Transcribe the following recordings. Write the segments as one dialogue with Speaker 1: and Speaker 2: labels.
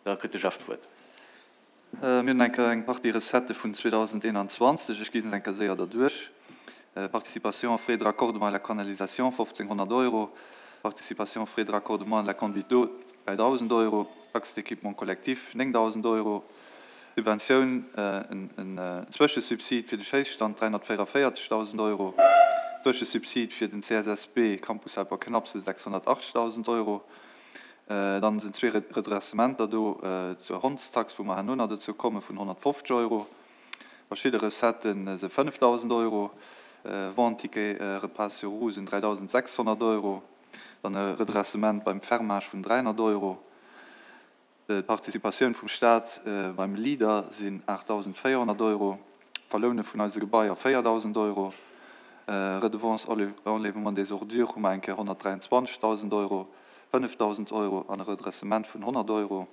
Speaker 1: Da kritt de Jeff d'Wuert.
Speaker 2: Mir hunn eng Kéier eng Partie Recettë vun 2021. Ech gi se eng Kéier séier derduerch. Participation frais de raccordement à la canalisation, 1.500 Euro, Participation frais de raccordement à la conduite d'eau, 3.000 Euro, Taxe d'équipement collectif, 9.000 Euro, Subventioun, en Zwëschesubsid fir de Schéisstand, 344.000 Euro, Zwëschesubsid fir den CSSB Campus Helper Knapse, 680.000 Euro. Dann sinn zwee Redressementer do zur Hondstax, wou mer herno nach dozou komme vun 150 Euro. Verschidde Recetten se 5.000 Euro, Vente Ticket Repas sur roues sinn 3.600 Euro, dann e Redressement beim Fermage vun 300 Euro. D'Participatioun vum Staat beim Leader sinn 8.400 Euro, d'Verloune vun eise Gebaier 4.000 Euro, Redevance enlèvement des ordures hu mer eng Kéier 123.000 Euro, 5.000 Euro an e Redressement vun 100 Euro,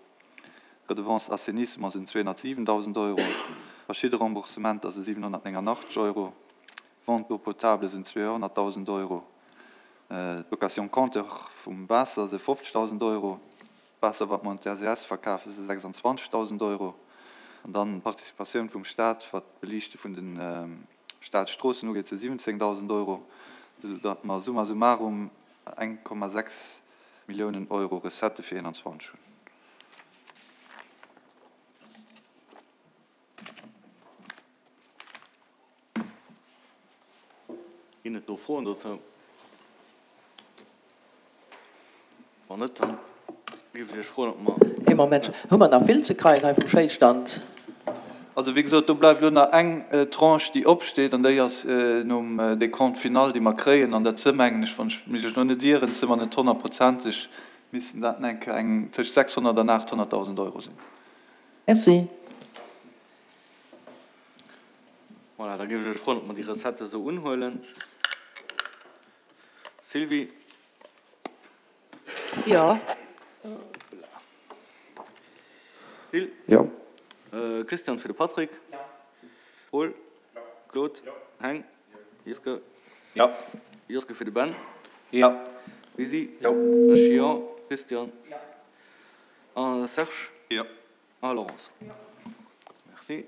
Speaker 2: Redevance assainissement sinn 207.000 Euro, verschidde Remboursementer si 789 Euro, Vente d'eau potable sinn 200.000 Euro, d'Location compteur vum Waasser si 50.000 Euro. D'Waasser, wat mer un d'RCS verkafen, si 26.000 Euro. An dann d'Participatioun vum Staat, wat d'Beliichte vun de Staatsstroossen ugeet, si 17.000 Euro, esou datt mer summa summarum 1,6 Milliounen Euro Recettë fir 21 hunn.
Speaker 1: Ginn et do Froen dozou? Wann net, dann géif ech Iech froen, ob mer.
Speaker 3: Ee Moment, hu mer nach vill ze kreien hei vum Schéisstand?
Speaker 2: Also, wéi gesot, do bleift elo nach eng Tranche, déi opsteet, an déi ass nom Décompte final, dee mer kréien. An dat si mengen ech, wann ech mech elo net ieren, si mer net honnertprozenteg, missten dat eng Kéier eng tëscht 600 an 800.000 Euro sinn.
Speaker 3: Merci.
Speaker 1: Voilà, da géif ech Iech froen, ob mer déi Recette esou unhuelen. Sylvie?
Speaker 3: Jo.
Speaker 1: Gilles?
Speaker 4: Jo.
Speaker 1: Christian fir de Patrick?
Speaker 5: Jo.
Speaker 1: Paul? Jo. Claude?
Speaker 5: Jo.
Speaker 1: Heng? Jeske?
Speaker 4: Jo.
Speaker 1: Jeske fir de Ben?
Speaker 4: Jo.
Speaker 1: Lisi?
Speaker 4: Jo.
Speaker 1: Ech jo. Christian?
Speaker 5: Jo.
Speaker 1: A Serge?
Speaker 2: Jo.
Speaker 1: A Laurence? Jo. Merci.